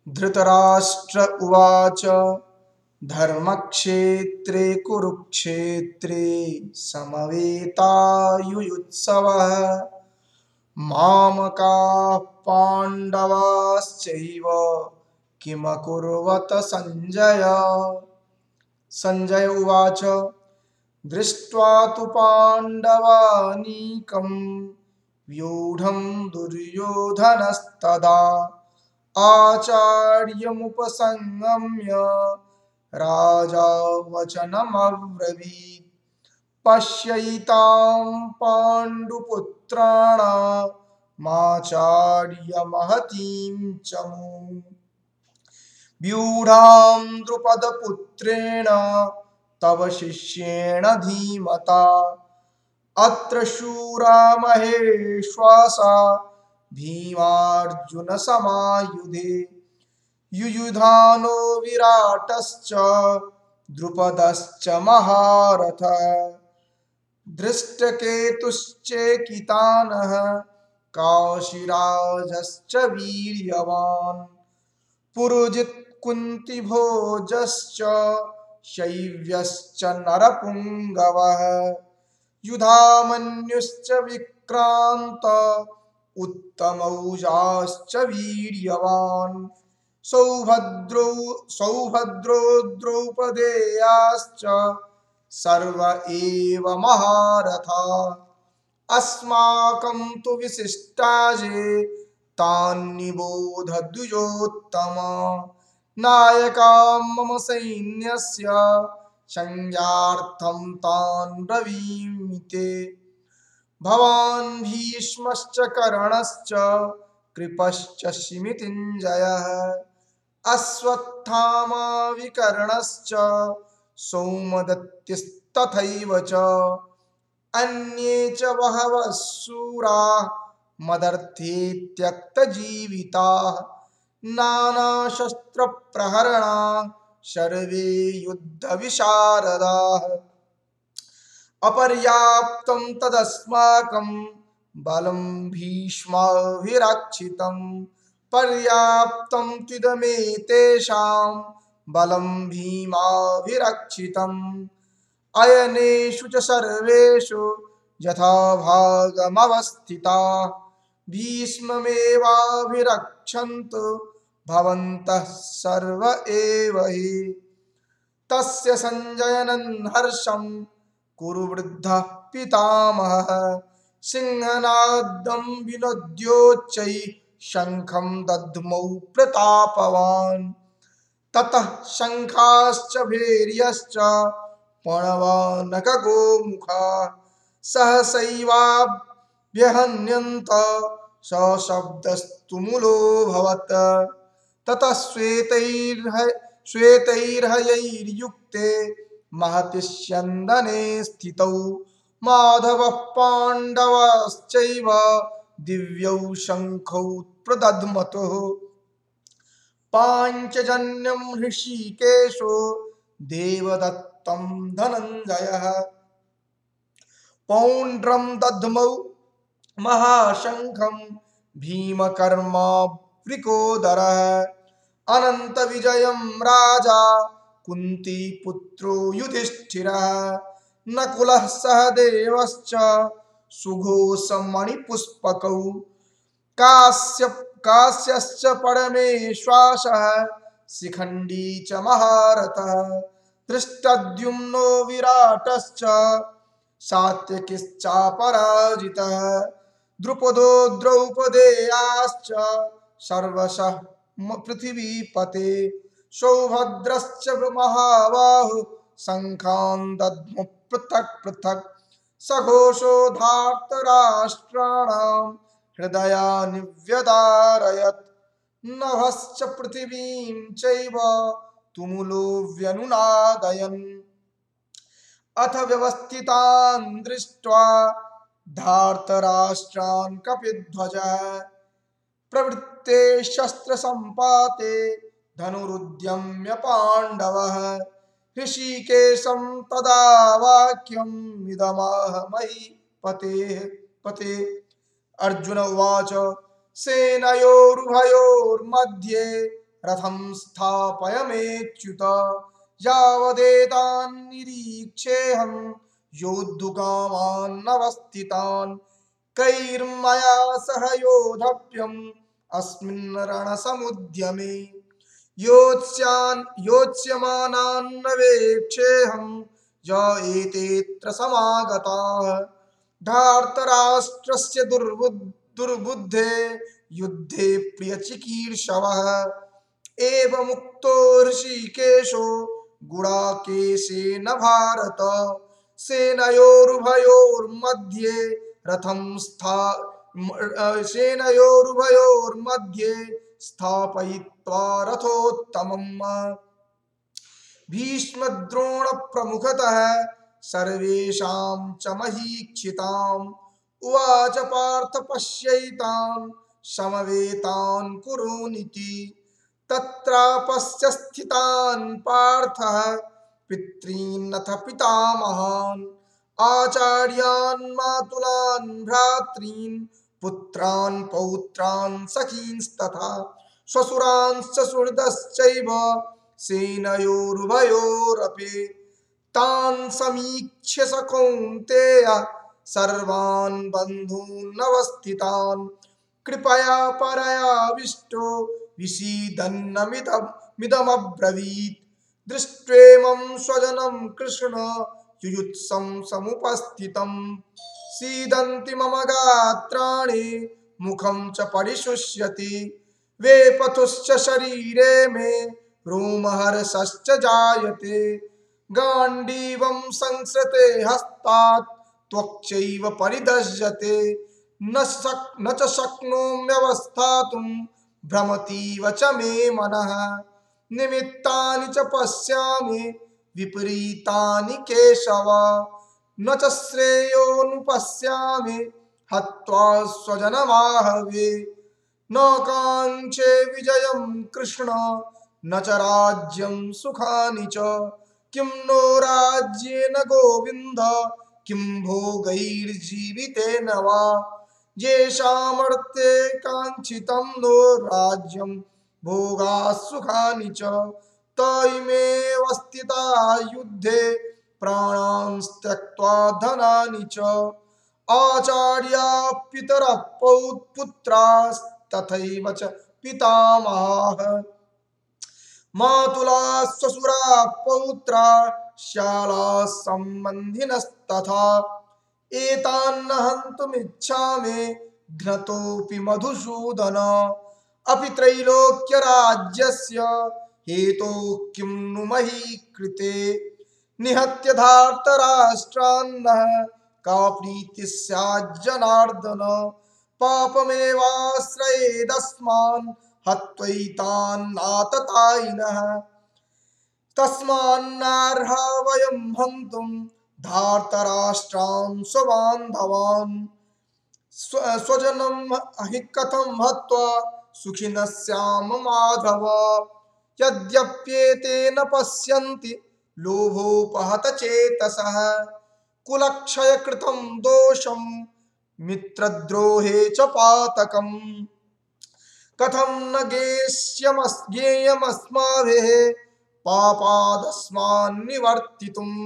धृतराष्ट्र उवाच धर्मक्षेत्रे कुरुक्षेत्रे समवेतायुयुत्सवः मामकाः पाण्डवाश्चैव किमकुर्वत सञ्जय। सञ्जय उवाच दृष्ट्वा तु पाण्डवानीकं व्यूढं दुर्योधनस्तदा आचार्यमुपसंगम्य राजा वचनमब्रवीत् पश्यैतां पाण्डुपुत्राणामाचार्यमहतीं च मूम् व्यूढां द्रुपदपुत्रेण तव शिष्येण धीमता अत्र शूरा महेश्वासा भीमार्जुनसमायुधे युयुधानो विराटश्च द्रुपदश्च महारथः धृष्टकेतुश्चेकितानः काशीराजश्च वीर्यवान् पुरुजित् कुन्तिभोजश्च शैव्यश्च नरपुङ्गवः युधामन्युश्च विक्रान्त उत्तमौजाश्च वीर्यवान् सौभद्रो द्रौपदेयाश्च सर्व एव महारथा अस्माकं तु विशिष्टाजे तान्निबोध द्विजोत्तम नायका मम सैन्यस्य संज्ञार्थं तान् ब्रवीमि ते भवान् भीष्मश्च कर्णश्च कृपश्च शिमितिञ्जयः अश्वत्थामा विकर्णश्च सौमदत्तिस्तथैव च अन्ये च बहवः शूराः मदर्थे त्यक्तजीविताः नानाशस्त्रप्रहरणा सर्वे युद्धविशारदाः अपर्याप्तं तदस्माकं बलं भीष्माभिरक्षितं पर्याप्तं त्विदमेतेषां बलं भीमाभिरक्षितम् अयनेषु च सर्वेषु यथाभागमवस्थिताः भीष्ममेवाभिरक्षन्तु भवन्तः सर्व एव हि तस्य सञ्जयनं हर्षं कुरु वृद्धः पितामहः सिंहनादं विनोद्योच्चैः शङ्खं दद्मौ प्रतापवान् ततः शङ्खाश्च भैर्यश्च पणवानकगोमुखाः सहसैवाभ्यहन्यन्त सशब्दस्तुमुलोऽभवत् ततः श्वेतैर्हयैर्युक्ते महति स्यन्दने स्थितौ माधवः पाण्डवाश्चैव दिव्यौ शङ्खौ प्रदध्मतुः पाञ्चजन्यं हृषीकेशो देवदत्तं धनञ्जयः पौण्ड्रं दध्मौ महाशङ्खं भीमकर्मावृकोदरः अनन्तविजयं राजा कुन्तीपुत्रो युधिष्ठिरः नकुलः सहदेवश्च सुघोषमणिपुष्पकौ काश्यश्च परमेश्वासः शिखण्डी च महारथः धृष्टद्युम्नो विराटश्च सात्यकिश्चापराजितः द्रुपदो द्रौपदेयाश्च सर्वशः पृथिवीपते सौभद्रश्च महाबाहु शङ्खान् दद्मः पृथक् पृथक् सघोषो धार्तराष्ट्राणां हृदयानि व्यदारयत् नभश्च पृथिवीं चैव तुमुलो व्यनुनादयन् अथ व्यवस्थितान् दृष्ट्वा धार्तराष्ट्रान् कपिध्वजः प्रवृत्ते शस्त्रसम्पाते धनुरुद्यम्य पाण्डवः ऋषिकेशं तदा वाक्यम् इदमाह पते अर्जुन उवाच सेनयोरुभयोर्मध्ये रथं स्थापयमेच्युत यावदेतान्निरीक्षेऽहं योद्धुकामानवस्थितान् कैर्मया सह योद्धव्यम् अस्मिन् रणसमुद्यमे योत्स्यमानान्नवेक्षेऽहं य एतेऽत्र समागताः धार्तराष्ट्रस्य दुर्बुद्धे युद्धे प्रियचिकीर्षवः एवमुक्तो ऋषिकेशो गुडाकेशेन भारत सेनयोरुभयोर्मध्ये रथं सेनयोरुभयोर्मध्ये स्थापयित्वा रथोत्तमम् भीष्मद्रोणप्रमुखतः सर्वेषां च महीक्षिताम् उवाच पार्थ पश्यैतान् समवेतान् कुरूनिति तत्रापश्य स्थितान् पार्थः पितॄन्नथ पितामहान् आचार्यान् मातुलान् भ्रातॄन् पुत्रान् पौत्रान् सखींस्तथा श्वशुरांश्च सुहृदश्चैव सेनयोरुभयोरपि तान् समीक्ष्य स कौन्तेय सर्वान् बन्धूनवस्थितान् कृपया परयाविष्टो विषीदन्नमिदमब्रवीत् दृष्ट्वेमं स्वजनं कृष्ण युयुत्सं समुपस्थितम् सीदन्ति मम गात्राणि मुखं च परिशुष्यति वेपथुश्च शरीरे मे रोमहर्षश्च जायते गाण्डीवं संसृते हस्तात् त्वक्चैव परिदह्यते न च शक्नोम्यवस्थातुं भ्रमतीव च मे मनः निमित्तानि च पश्यामि विपरीतानि केशव न च श्रेयोनुपश्यामि हत्वा स्वजनमाहवे न काङ्क्षे विजयं कृष्ण न च राज्यं सुखानि च किं नो राज्येन गोविन्द किं भोगैर्जीवितेन वा येषामर्थे काङ्क्षितं नो राज्यं भोगाः सुखानि च तैमेव स्थिता युद्धे प्राणान् त्यक्त्वा धनानि च आचार्या पितरः पुत्रास्तथैव च पितामहाः मातुलाः श्वशुराः पौत्राः श्यालाः सम्बन्धिनस्तथा एतान्न हन्तुमिच्छामि घ्नतोऽपि मधुसूदन अपि त्रैलोक्यराज्यस्य हेतोः किं नु मही कृते निहत्य धार्तराष्ट्रान्नः का प्रीतिः स्याज्जनार्दन पापमेवाश्रयेदस्मान् हत्वैतान्नाततायिनः तस्मान्नार्हा वयं हन्तुं धार्तराष्ट्रान् स्वबान्धवान् स्वजनं हि कथं हत्वा सुखिनः स्याम माधव यद्यप्येतेन पश्यन्ति लोभोपहतचेतसः कुलक्षयकृतं दोषं मित्रद्रोहे च पातकम् कथं न ज्ञेयमस्माभिः पापादस्मान्निवर्तितुम्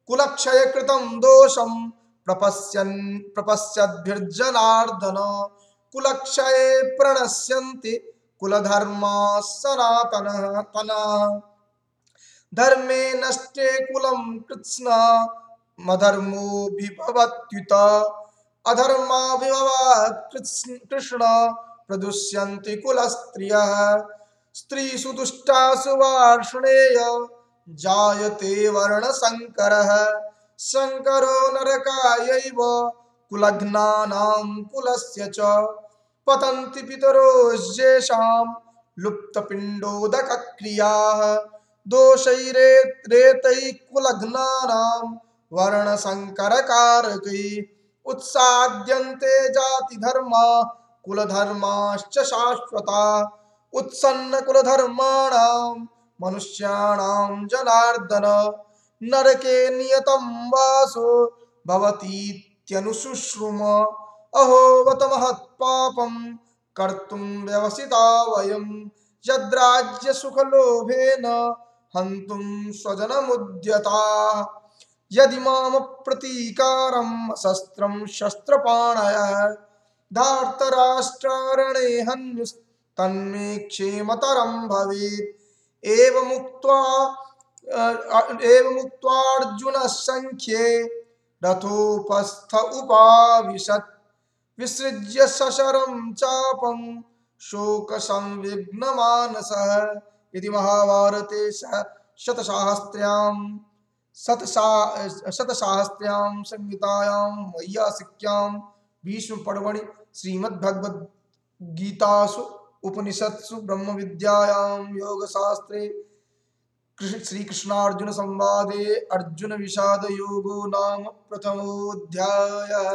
कुलक्षयकृतं दोषं प्रपश्यद्भिर्जनार्दन कुलक्षये प्रणश्यन्ति कुलधर्माः सनातनाः धर्मे नष्टे कुलं कृत्स्नमधर्मोऽभिभवत्युत अधर्माभिभवात् कृष्ण प्रदुष्यन्ति कुलस्त्रियः स्त्रीषु दुष्टासु वार्ष्णेय जायते वर्णसङ्करः शङ्करो नरकायैव कुलघ्नानां कुलस्य च पतन्ति पितरो येषां लुप्तपिण्डोदकक्रियाः दोषैरेतैः कुलघ्नानां वर्णसङ्करकारकैः उत्साद्यन्ते जातिधर्मा कुलधर्माश्च शाश्वता उत्सन्नकुलधर्माणां मनुष्याणां जनार्दन नरके नियतं वासो भवतीत्यनुशुश्रुम अहो बत महत्पापं कर्तुं व्यवसिता वयं यद्राज्यसुखलोभेन हन्तुं स्वजनमुद्यताः यदि मामप्रतीकारं शस्त्रं शस्त्रपाणयः धार्तराष्ट्रारणे हन्युस्तन्मे क्षेमतरं भवेत् एवमुक्त्वार्जुनः रथोपस्थ उपाविशत् विसृज्य सशरं चापं शोकसंविघ्नमानसः इति महाभारते शतसाहस्र्यां संहितायां वैयासिक्यां भीष्मपर्वणि श्रीमद्भगवद्गीतासु उपनिषत्सु ब्रह्मविद्यायां योगशास्त्रे श्रीकृष्णार्जुन संवादे अर्जुन विषाद योगो नाम प्रथमोऽध्यायः।